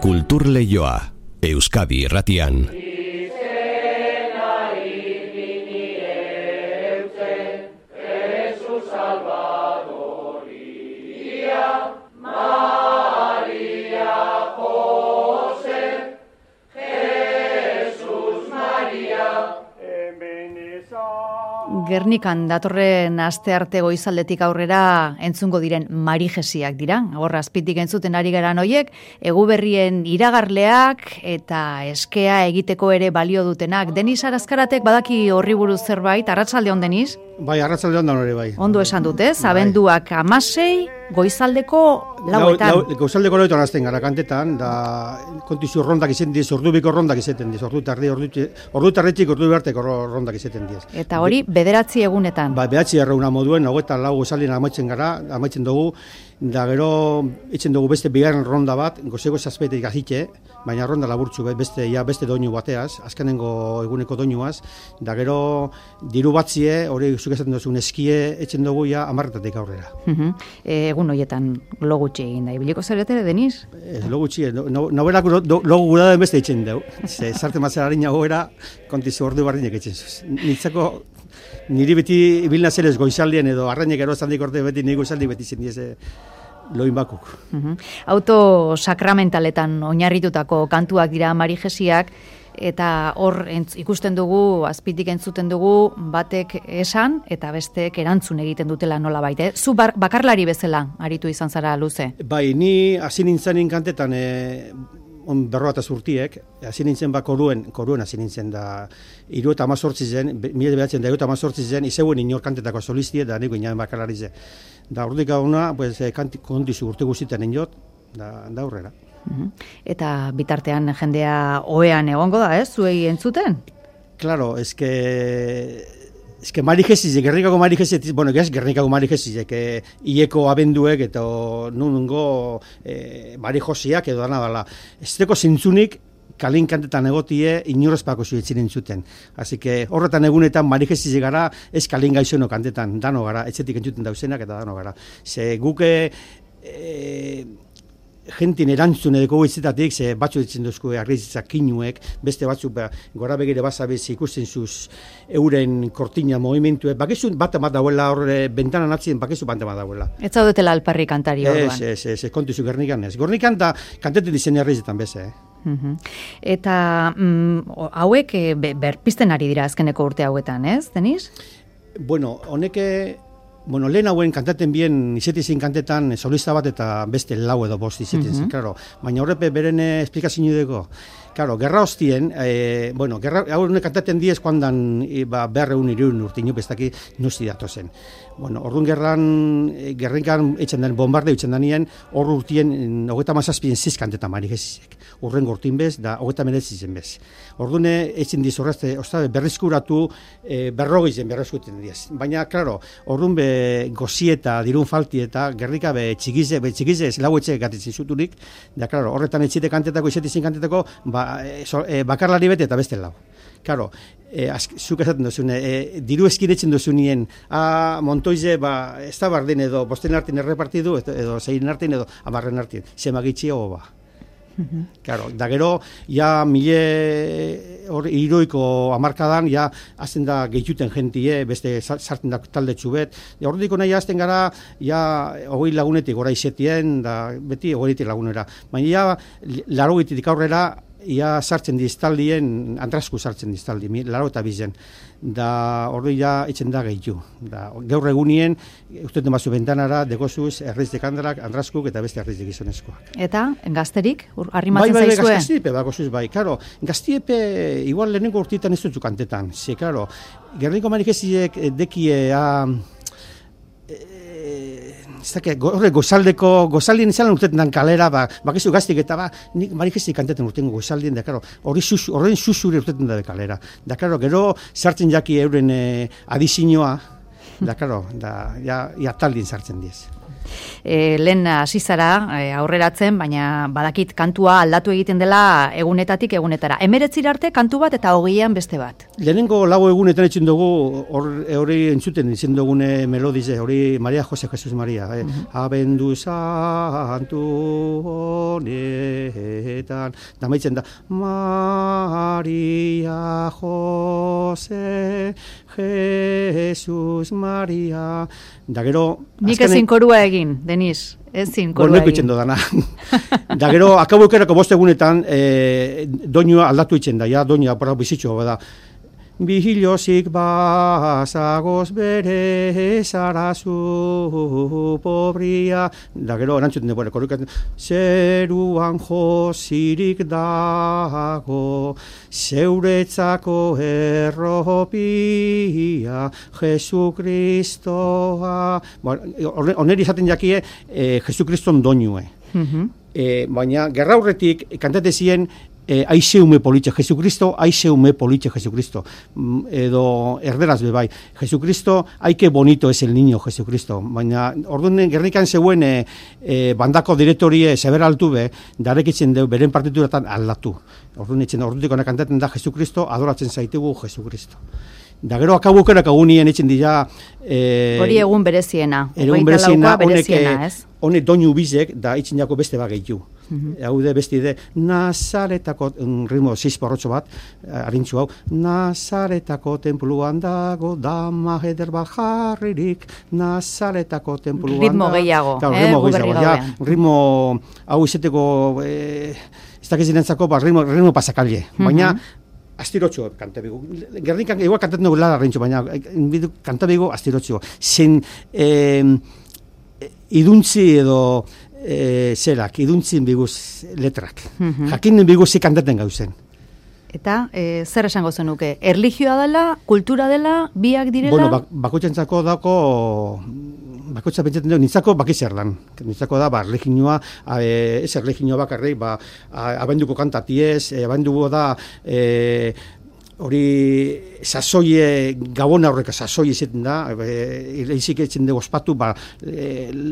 Kulturleioa, Euskadi Irratian. Gernikan datorren astearte goizaldetik aurrera entzungo diren marijesiak dira. Hor azpitik entzuten ari garan hoiek, eguberrien iragarleak eta eskea egiteko ere balio dutenak. Denis Arazkaratek badaki horri buruz zerbait, arratsalde on Denis? Bai, arratsalde on da hori bai. Ondo esan dute, abenduak 16, goizaldeko 4etan. Goizaldeko 4etan hasten gara kantetan, da kontizu rondak izaten diz, ordubiko rondak izaten diz, ordu tarretxik ordu beharteko rondak izaten diz. Eta hori, 9 egunetan. Ba, 9 erreuna moduen, 24 goizaldien amaitzen dugu, da gero itzen dugu beste bigarren ronda bat, gozeko zazpetik gazitxe, baina ronda laburtzu beste doinu bateaz, azkenengo eguneko doinuaz, da gero diru batzie, hori zuk esaten duzun eskie, etzen dugu ja 10 aurrera. Egun horietan logutxe egin da, ibiliko zarete, Denis? Logutxe, noberak logu gura den beste itzen dugu. Zarte mazera harina goera, kontizu ordu barrinek itzen zuz. Nitzako, niri beti ibilna zerez goizaldien edo arrainek erozandik orte beti nire goizaldi beti zen dieze loin bakuk. Auto sakramentaletan oinarritutako kantuak dira marijesiak, eta hor ikusten dugu, azpitik entzuten dugu, batek esan eta bestek erantzun egiten dutela nolabait. Zu bakarlari bezala aritu izan zara luze? Bai, ni hasi nintzenin kantetan berroa eta zurtiek, hasi nintzen koruen hasi nintzen da 78 zen, 1978 zen, izeuen inor kantetako solistie, da nik inaben bakarlari zen. Da ordik gauna, kontizu urte guztietan inot, da aurrera. Eta bitartean jendea ohean egongo da, zuei entzuten? Claro, eske marijesiek, Gernikako marijesiek, bueno, Gernikako marijesiek, ieko abenduek eta nungo marijosiak edo dana dala. Ez deko zintzunik, kalin kantetan egotie inorrezpako zuetzen entzuten. Así que horretan egunetan marijesiek gara, ez kalin gaixono kantetan, dano gara, etxetik entzuten dauzenak eta dano gara. Ze guke jentin erantzun edeko goitzetatik, ze batzu ditzen duzko agrizitzak kinuek, beste batzuk gora begire basabez ikusten zuz euren kortina movimentuek, bakizu bat dauela horre bentanan atzien, bakizu bat dauela. Ez zaudetela alparri kantari orduan? Ez, kontizu Gernikan ez. Gernikan da kantetu dizen herrizetan beze, Eta hauek berpizten ari dira azkeneko urte hauetan, ez, Denis? Bueno, lehen hauen kantaten bien izetizin kantetan solista bat eta beste lau edo bost izetizin, claro. Baina horrepe beren esplikazio dugu. Claro, gerra hostien, hauen kantaten diez kuandan berreun irun urte inopestaki nuzti datozen. Bueno, orduan gerrinkan etxen den bombardeo etxen denien, hor urtien 37 ziz kantetan marijesiek. Urren gortin bez, da 39 zen bez. Orduan etxen diz horrezte, berrizkuratu berrogeizen berrizkuten diez. Baina, claro, orduan gozieta, dirun falti eta gerrika txikize lau etxe gatitzen zuturik, da, claro, horretan etxite kantetako, izetizin kantetako, bakarlari bete eta beste lau. Claro, zuk esaten duzune, diru eskiretzen duzunien, Montoize, ez da bardin edo, bosten artin errepartidu, edo zeiren artin edo, amarren artin, zemagitxia hoba. Claro, da gero, ja hiroiko hamarkadan, ja azten da gehituten jentie, beste sartzen da talde txubet. Horretiko nahi azten gara, ja 20 lagunetik gora izetien, da beti 20 lagunera. Baina ja, 80 aurrera, ia sartzen diztaldien, andrasku sartzen diztaldi, 82 da hori ja itzen da gehitu. Gaur egunien, usteten bazu bentanara, degozuz, erreiztek andraskuk eta beste erreiztek gizonezkoak. Eta, gazterik, arrimatzen zaizue? Bai, gaztiepe, bakosuz, bai, karo, gaztiepe, igual lehenengo urtietan ez dutzu kantetan, ze, karo, Gerniko marijesiek dekie, horre gozaldien izan urtetan kalera, bakizu gaztik eta nik marijesi kantetan urtengo gozaldien, da, karo, horren susure urtetan da kalera. Da, karo, gero sartzen jaki euren adizinoa, Da, karo, ja taldin sartzen diez. Lehen hasi zara aurreratzen, baina badakit kantua aldatu egiten dela egunetatik egunetara. 19 arte kantu bat eta 20an beste bat. Lehenengo lau egunetan etxen dugu, hori entzuten izen dugune melodize, hori Maria Jose Jesus Maria. Abendu santu honetan. Da maitzen da, Maria Jose Jesus Maria. Da gero... Nik ezin korua egin, Denis. Ezin korua egin. Itzen dodana. Da gero, akabukerako 5 egunetan, doinua aldatu itzen da, ja, doinua bizitxo bada. Bihilozik bazagoz bere zarazu pobria. Da gero, erantzuten dugu, korrikatzen. Zeruan josirik dago, zeuretzako erropia, Jesu Kristoa. Oneri izaten jakie, Jesu Kriston doinue. Baina, gerra aurretik, kantate zien, aizeume politxe Jesucristo, aizeume politxe Jesucristo. Edo erderaz bebai. Jesucristo, aike bonito es el niño Jesucristo. Baina, orduan Gernikan zeuen bandako direktorie zeber altu be, darekitzen deu, beren partituratan aldatu. Orduan etxen, ordutik ona kantaten da Jesucristo, adoratzen zaitugu Jesucristo. Da gero akabukerak agunien etxen dira... Hori egun bereziena. Egun bereziena, honek doinu bizek, da itxin jako beste bageitu. Haude beste Nazaretako, ritmo 6 porrotxo bat, harintzu hau, Nazaretako tenpluan dago, dama eder bajarririk, Nazaretako tenpluan dago. Ritmo gehiago, ritmo gehiago, ritmo hau izeteko, ez dakizinentzako, ritmo pasakalle, baina, astirotxo kanta bigu. Gernikan igual kantatzen dugu lara rentxo, baina kanta bigu astirotxo. Zen iduntzi edo zerak, iduntzin biguz letrak. Jakinen biguz zik kantaten gauzen. Eta zer esango zenuke? Erlijioa dela, kultura dela, biak direla? Bueno, bakotxentzako dako, bakotxa pentsatzen dugu, nintzako bakitzer lan. Nintzako da, erlijioa, ez erlijioa bakarrik, abenduko kantatiez, abenduko da, hori sasoie, gabona horreka sasoie izaten da, izik etzen dugu ospatu,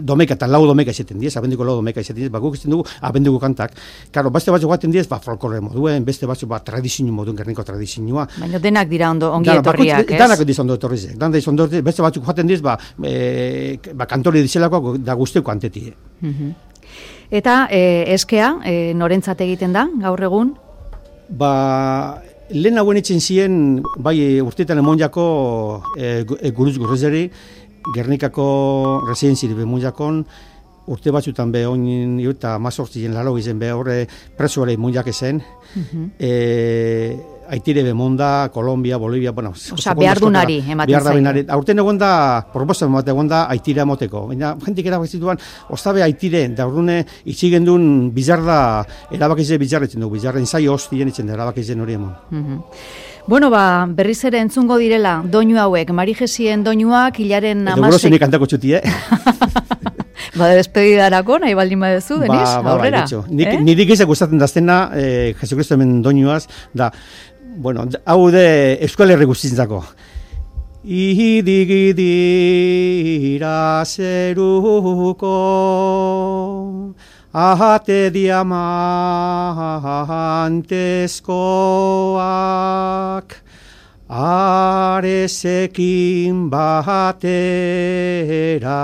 domeka eta lau domeka izaten diez, abenduko lau domeka izaten diez, guk izaten dugu abenduko kantak. Karo, beste batzuk gaten diez, folklore moduen, beste batzuk tradizio moduen, Gerniko tradizioa. Baina denak dira ongi etorriak, ez? Danak diz ondo etorrizek, beste batzuk gaten diez, kantore dizelako da guzteko antetie. Eta eskea, norentzat egiten da, gaur egun? Lehen hauen etxen ziren, bai urteetan emonjako guruz gurrezeri, Gernikako residentziri bemonjakon, urte batzutan be oin eta mazortzien laro izen be horre presoare emonjak ezen, Aitire bemonda, Kolombia, Bolivia, bueno... Osa, behardunari ematen zain. Aurten egon da, proposan bat egon da Aitire amoteko. Baina, jentik erabakizituan, ostabe Aitire, da urdune, itxigen duen bizarda, erabakize bizarretzen du, bizarren zai hostien itzen da, erabakizen hori emon. Bueno, berriz ere entzungo direla, doinu hauek, Marijesien doinuak, hilaren amasek... Edo gurozenik kantako txuti, despedidarako, nahi baldin badezu, Denis, aurrera. Nidik izak gustatzen daztena, Jesucristo hemen doinuaz, da, bueno, hau de Euskal Herri guztientzako. Idigidira zeruko, ahate diamantezkoak, arezekin batera,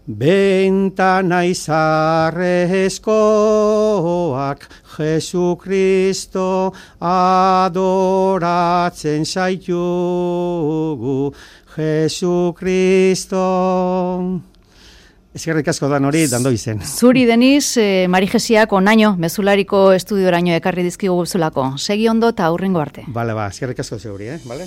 bentana izarrezkoak, Jesucristo adoratzen zaitugu, Jesucristo. Eskerrik asko dan hori, dando izen. Zuri, Denis, Marijesiak onaino, mezulariko estudioraino ekarri dizkigu zulako. Segi ondo eta aurrengo arte. Bale, eskerrik asko zeuri, bale?